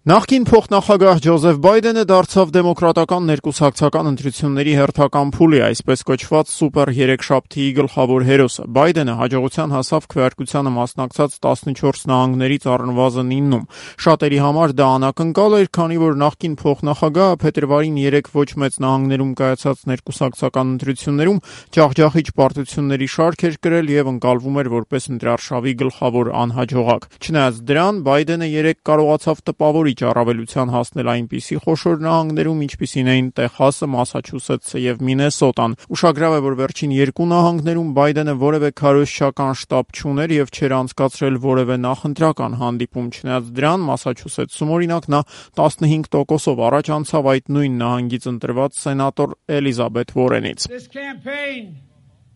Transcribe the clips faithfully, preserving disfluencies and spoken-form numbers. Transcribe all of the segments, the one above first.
Նախկին փոխնախագահ Ջոզեֆ Բայդենը դարձավ դեմոկրատական ներկուսակցական ընտրությունների հերթական փուլի, այսպես կոչված սուպեր երեքշաբթիի գլխավոր հերոսը։ Բայդենը հաջողության հասավ քվեարկությանը մասնակցած տասնչորս նահանգներից առնվազն իննում։ Շատերի համար դա անակնկալ էր, քանի որ նախկին փոխնախագահը փետրվարին երեք ոչ մեծ նահանգներում կայացած ներկուսակցական ընտրություններում ջախջախիչ պարտությունների շարք էր կրել եւ ընկալվում էր որպես ընտրարշավի գլխավոր անհաջողակ։ Չնայած դրան, Բայդենը երեք կարողացավ տպավորիչ առավելության հասնել այնպիսի խոշոր նահանգներում, ինչպիսին էին Տեխասը, Մասաչուսեթսը եւ Մինեսոտան։ Ուշագրավ է, որ վերջին երկու նահանգներում Բայդենը որևէ քարոզչական շտաբ չուներ եւ չէր անցկացրել որևէ նախընտրական հանդիպում։ Չնայած դրան, Մասաչուսեթսում օրինակ նա տասնհինգ տոկոսով առաջ անցավ այդ նույն նահանգից ընտրված սենատոր Էլիզաբեթ Վորենից։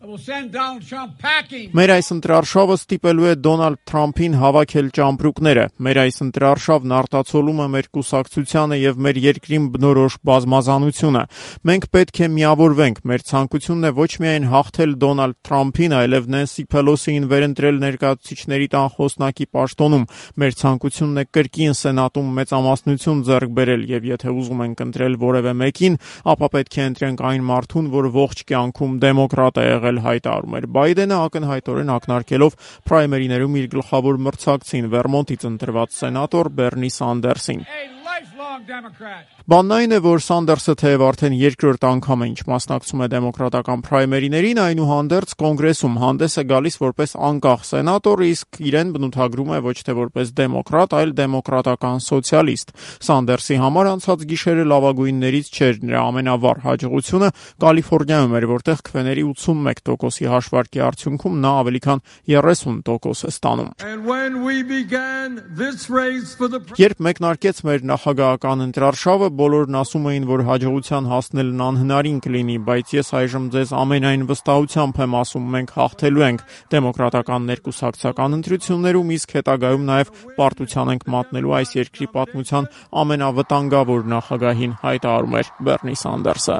Մեր այս ընտրարշավը ստիպելու է Դոնալդ Թրամփին հավաքել ճամպրուկները։ Մեր այս ընտրարշավն արտացոլում է մեր կուսակցությանը եւ մեր երկրին բնորոշ բազմազանությունը։ Մենք պետք է միավորվենք։ Մեր ցանկությունն է ոչ միայն հաղթել Դոնալդ Թրամփին, այլև Նենսի Փելոսիին վերընտրել ներկայացուցիչների տան խոսնակի պաշտոնում։ Մեր ցանկությունն է կրկին Սենատում մեծամասնություն ձեռք բերել եւ եթե ուզում ենք ընտրել որևէ մեկին, ապա պետք է ընտրենք այն մարդուն, որ ողջ կյանքում դեմոկրատ է եղել, հայտարարում էր Բայդենը, ակնհայտորեն ակնարկելով պրայմերիներում իր գլխավոր մրցակցին Վերմոնտից ընտրված սենատոր Բեռնի Սանդերսին։ Բանն այն է, որ Սանդերսը թեև արդեն երկրորդ անգամ է ինչ մասնակցում է դեմոկրատական պրայմերիներին, այնուհանդերձ կոնգրեսում հանդես է գալիս որպես անկախ սենատոր, իսկ իրեն բնութագրում է ոչ թե որպես դեմոկրատ, այլ դեմոկրատական սոցիալիստ։ Սանդերսի համար անցած գիշերը լավագույններից չէր, նրա ամենավառ հաջողությունը Կալիֆոռնիայում էր, որտեղ քվեների ութսունմեկ տոկոսի հաշվարկի արդյունքում նա ավելի քան երեսուն տոկոս է ստանում։ Երբ մեկնարկեց մեր նախագահական ընտրարշավը, բոլորն ասում էին, որ հաջողության հասնելն անհնարին կլինի, բայց ես այժմ ձեզ ամենայն վստահությամբ եմ ասում, մենք հաղթելու ենք դեմոկրատական ներկուսակցական ընտրություններում, իսկ հետագայում նաև պարտության ենք մատնելու այս երկրի պատմության ամենավտանգավոր նախագահին, հայտարարում էր Բեռնի Սանդերսը։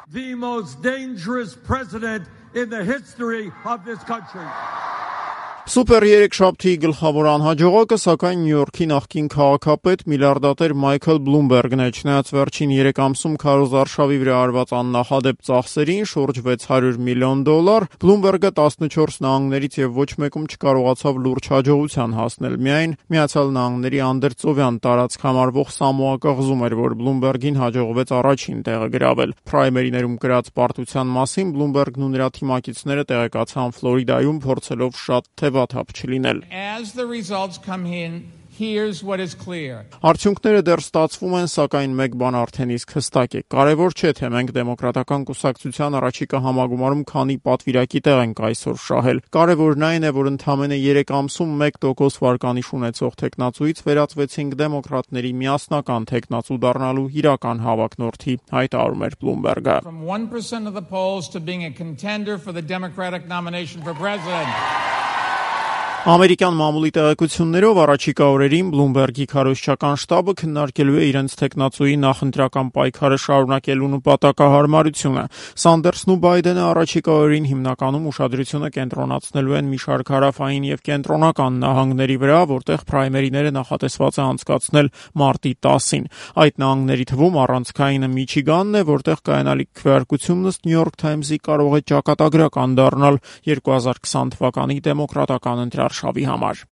Սուպեր երեքշաբթիի գլխավոր անհաջողակը, սակայն Նյու Յորքի նախկին քաղաքապետ միլիարդատեր Մայքլ Բլումբերգն է։ Չնայած վերջին երեք ամսում քարոզարշավի վրա արված աննախադեպ ծախսերին, շուրջ վեց հարյուր միլիոն դոլար, Բլումբերգը տասնչորս նահանգներից եւ ոչ մեկում չկարողացավ լուրջ հաջողության հասնել։ Միայն Միացյալ Նահանգների անդերձովյան տարածք համարվող Սամոա կղզում էր, որ Բլումբերգին հաջողվեց առաջին տեղը գրավել։ Պրայմերիներում կրած պարտության մասին Բլումբերգն ու նրա թիմակիցները տեղեկացան Ֆլորիդայում, փորձելով շատ թեվաթափ չլինել։ Արդյունքները դեռ ստացվում են, սակայն մեկ բան արդեն իսկ հստակ է։ Կարևոր չէ, թե մենք դեմոկրատական կուսակցության առաջիկա համագումարում քանի պատվիրակի տեղ ենք այսօր շահել։ Կարևորն այն է, որ ընդամենը երեք ամսում մեկ տոկոս վարկանիշ ունեցող թեկնածուից վերածվեցինք դեմոկրատների միասնական թեկնածու դառնալու իրական հավակնորդի, հայտարարում էր Բլումբերգը։ Ամերիկյան մամուլի տեղեկություններով առաջիկա օրերին Բլումբերգի քարոզչական շտաբը քննարկելու է իրենց թեկնածուի նախընտրական պայքարը շարունակելու նպատակահարմարությունը։ Սանդերսն ու Բայդենը առաջիկա օրերին հիմնականում ուշադրությունը կենտրոնացնելու են մի շարք հարավային եւ կենտրոնական նահանգների վրա, որտեղ պրայմերիները նախատեսված է անցկացնել մարտի տասին։ Այդ նահանգների թվում առանցքայինը Միչիգանն է, որտեղ կայանալիք քվեարկությունն ըստ Նյու Յորք Թայմզի կարող է ճակատագրական դառնալ երկու հազար քսան թվականի դեմոկրատական ընտրարշավի համար։